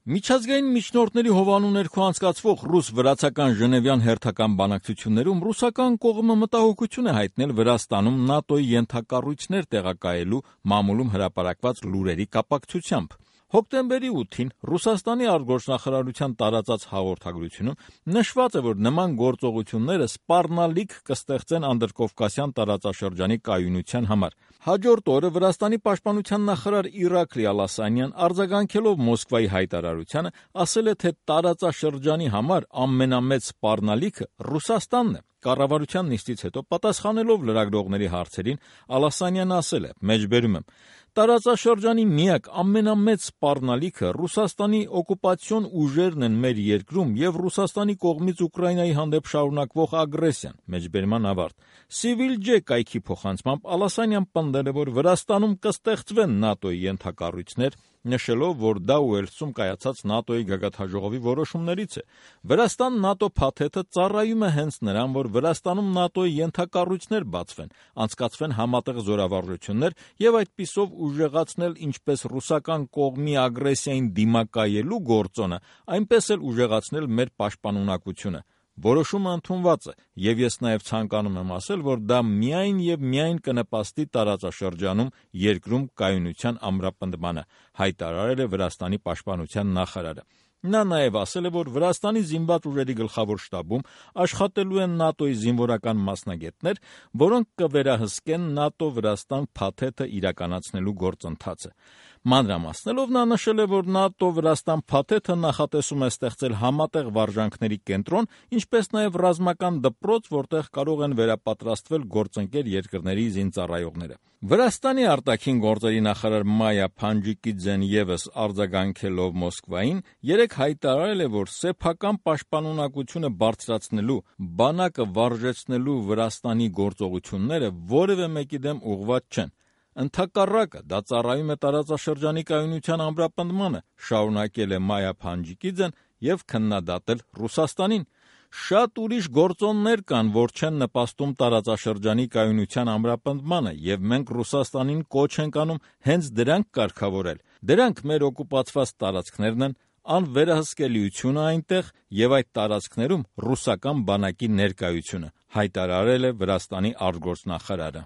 Միջազգային միջնորդների հովանու ներքո անցկացվող ռուս-վրացական ժնևյան հերթական բանակցություններում ռուսական կողմը մտահոգություն է հայտնել Վրաստանում ՆԱՏՕ-ի ենթակառույցներ տեղակայելու մամուլում հրապարակված լուրերի կապակցությամբ։ Հոկտեմբերի 8-ին Ռուսաստանի արտգործնախարարության տարածած հաղորդագրությունում նշված է, որ նման գործողությունները սպառնալիք կստեղծեն անդրկովկասյան տարածաշրջանի կայունության համար։ Հաջորդ օրը Վրաստանի պաշտպանության նախարար Իրաքլի Ալասանյան արձագանքելով Մոսկվայի հայտարարությանը ասել է, թե տարածաշրջանի համար ամենամեծ սպառնալիքը Ռուսաստանն է։ Կառավարության նիստից հետո պատասխանելով լրագրողների հարցերին Ալասանյանը ասել է. մեջբերում եմ. տարածաշրջանի միակ ամենամեծ սպառնալիքը Ռուսաստանի օկուպացիոն ուժերն են մեր երկրում եւ Ռուսաստանի կողմից Ուկրաինայի հանդեպ շարունակվող ագրեսիան, մեջբերման ավարտ։ Civil J կայքի փոխանցմամբ Ալասանյան պնդել է, որ Վրաստանում կստեղծվեն ՆԱՏՕ-ի ենթակառույցներ, նշելով, որ դա Ուելսում կայացած ՆԱՏՕ-ի գագաթնաժողովի որոշումներից է։ Վրաստան-ՆԱՏՕ փաթեթը ծառայում է հենց նրան, որ Վրաստանում ՆԱՏՕ-ի ենթակառույցներ բացվեն, անցկացվեն համատեղ զորավարժություններ եւ այդպիսով ուժեղացնել ինչպես ռուսական կողմի ագրեսիային դիմակայելու գործոնը, այնպես էլ ուժեղացնել մեր պաշտպանունակությունը։ Որոշումը ընդունված է, եւ ես նաեւ ցանկանում եմ ասել, որ դա միայն եւ միայն կնպաստի տարածաշրջանում երկրում կայունության ամրապնդմանը, հայտարարել է Վրաստանի պաշտպանության նախարարը։ Նա նաև ասել է, որ Վրաստանի զինված ուժերի գլխավոր շտաբում աշխատելու են ՆԱՏՕ-ի զինվորական մասնագետներ, որոնք կվերահսկեն ՆԱՏՕ-Վրաստան փաթեթը իրականացնելու գործընթացը։ Մանրամասնելով նա նշել է, որ ՆԱՏՕ-Վրաստան փաթեթը նախատեսում է ստեղծել համատեղ վարժանքների կենտրոն, ինչպես նաև ռազմական դպրոց, որտեղ կարող են վերապատրաստվել գործընկեր երկրների զինծառայողները։ Վրաստանի արտաքին գործերի նախարար Մայա Փանջիկիձեն ևս արձագանքելով Մոսկվային երեկ հայտարարել է, որ սեփական պաշտպանունակությունը բարձրացնելու, բանակը վարժեցնելու Վրաստանի գործողությունները որևէ մեկի դեմ ուղղված չեն։ Ընդհակառակը դա ծառայում է տարածաշրջանի կայունության ամրապնդմանը, շարունակել է Մայա Փանջիկիձեն եւ քննադատել Ռուսաստանին։ Շատ ուրիշ գործոններ կան, որ չեն նպաստում տարածաշրջանի կայունության ամրապնդմանը, եւ մենք Ռուսաստանին կոչ ենք անում հենց դրանք կարգավորել։ Դրանք մեր օկուպացված տարածքներն են, անվերահսկելիությունը այնտեղ եւ այդ տարածքներում ռուսական բանակի ներկայությունը, հայտարարել է Վրաստանի արտգործնախարարը։